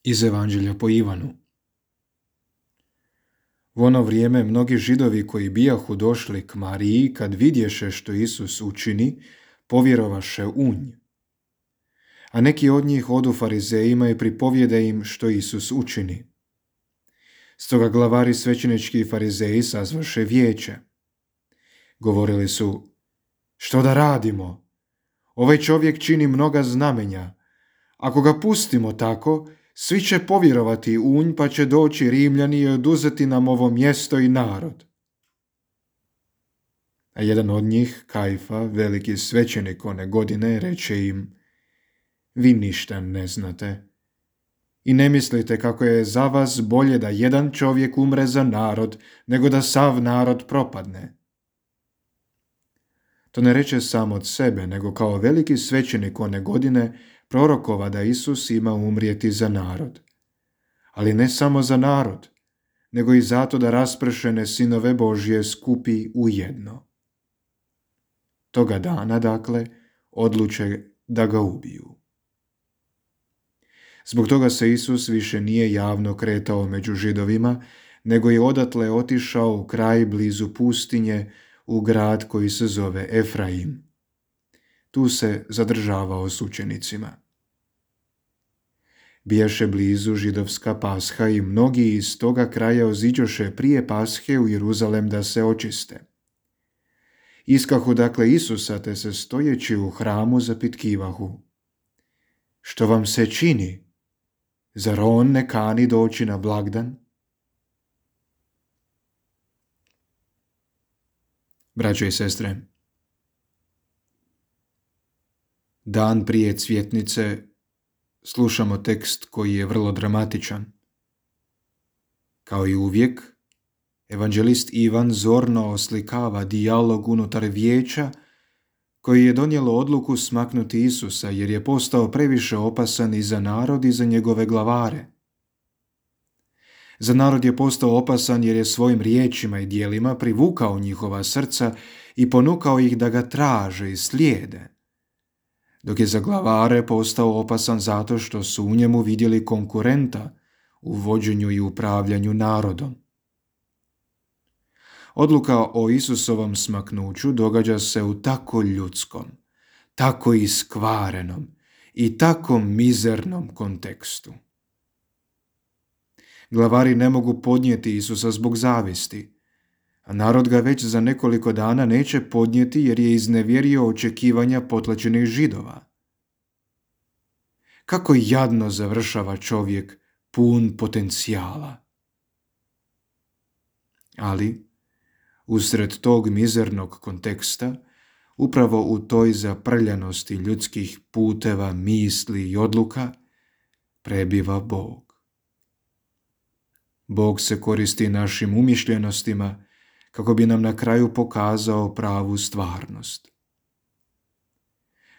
Iz Evanđelja po Ivanu. U ono vrijeme mnogi Židovi koji bijahu došli k Mariji, kad vidješe što Isus učini, povjerovaše u nj. A neki od njih odu farizejima i pripovjede im što Isus učini. Stoga glavari svećenički i farizeji sazvaše vijeće. Govorili su: što da radimo? Ovaj čovjek čini mnoga znamenja. Ako ga pustimo tako, svi će povjerovati u nj, pa će doći Rimljani i oduzeti nam ovo mjesto i narod. A jedan od njih, Kajfa, veliki svećenik one godine, reče im: vi ništa ne znate i ne mislite kako je za vas bolje da jedan čovjek umre za narod, nego da sav narod propadne. To ne reče sam od sebe, nego kao veliki svećenik one godine prorokova da Isus ima umrijeti za narod. Ali ne samo za narod, nego i zato da raspršene sinove Božje skupi u jedno. Toga dana, dakle, odluče da ga ubiju. Zbog toga se Isus više nije javno kretao među Židovima, nego je odatle otišao u kraj blizu pustinje, u grad koji se zove Efraim. Tu se zadržavao s učenicima. Bijaše blizu židovska Pasha i mnogi iz toga kraja oziđoše prije Pashe u Jeruzalem da se očiste. Iskahu dakle Isusa, te se stojeći u hramu zapitkivahu: što vam se čini? Zar on ne kani doći na blagdan? Braćo i sestre, dan prije cvjetnice slušamo tekst koji je vrlo dramatičan. Kao i uvijek, evanđelist Ivan zorno oslikava dijalog unutar vijeća koji je donijelo odluku smaknuti Isusa jer je postao previše opasan i za narod i za njegove glavare. Za narod je postao opasan jer je svojim riječima i djelima privukao njihova srca i ponukao ih da ga traže i slijede, dok je za glavare postao opasan zato što su u njemu vidjeli konkurenta u vođenju i upravljanju narodom. Odluka o Isusovom smaknuću događa se u tako ljudskom, tako iskvarenom i tako mizernom kontekstu. Glavari ne mogu podnijeti Isusa zbog zavisti, a narod ga već za nekoliko dana neće podnijeti jer je iznevjerio očekivanja potlačenih Židova. Kako jadno završava čovjek pun potencijala. Ali, usred tog mizernog konteksta, upravo u toj zaprljanosti ljudskih puteva, misli i odluka, prebiva Bog. Bog se koristi našim umišljenostima kako bi nam na kraju pokazao pravu stvarnost.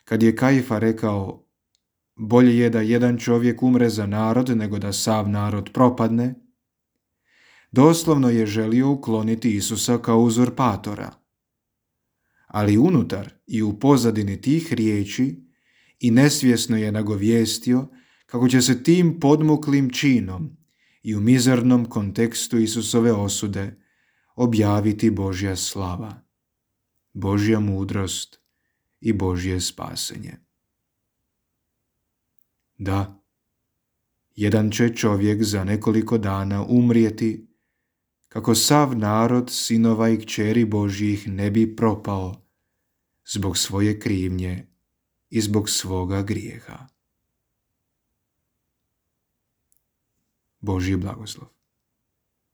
Kad je Kajfa rekao: bolje je da jedan čovjek umre za narod nego da sav narod propadne, doslovno je želio ukloniti Isusa kao uzurpatora. Ali unutar i u pozadini tih riječi i nesvjesno je nagovijestio kako će se tim podmuklim činom i u mizernom kontekstu Isusove osude objaviti Božja slava, Božja mudrost i Božje spasenje. Da, jedan će čovjek za nekoliko dana umrijeti kako sav narod sinova i kćeri Božjih ne bi propao zbog svoje krivnje i zbog svoga grijeha. Božji blagoslov.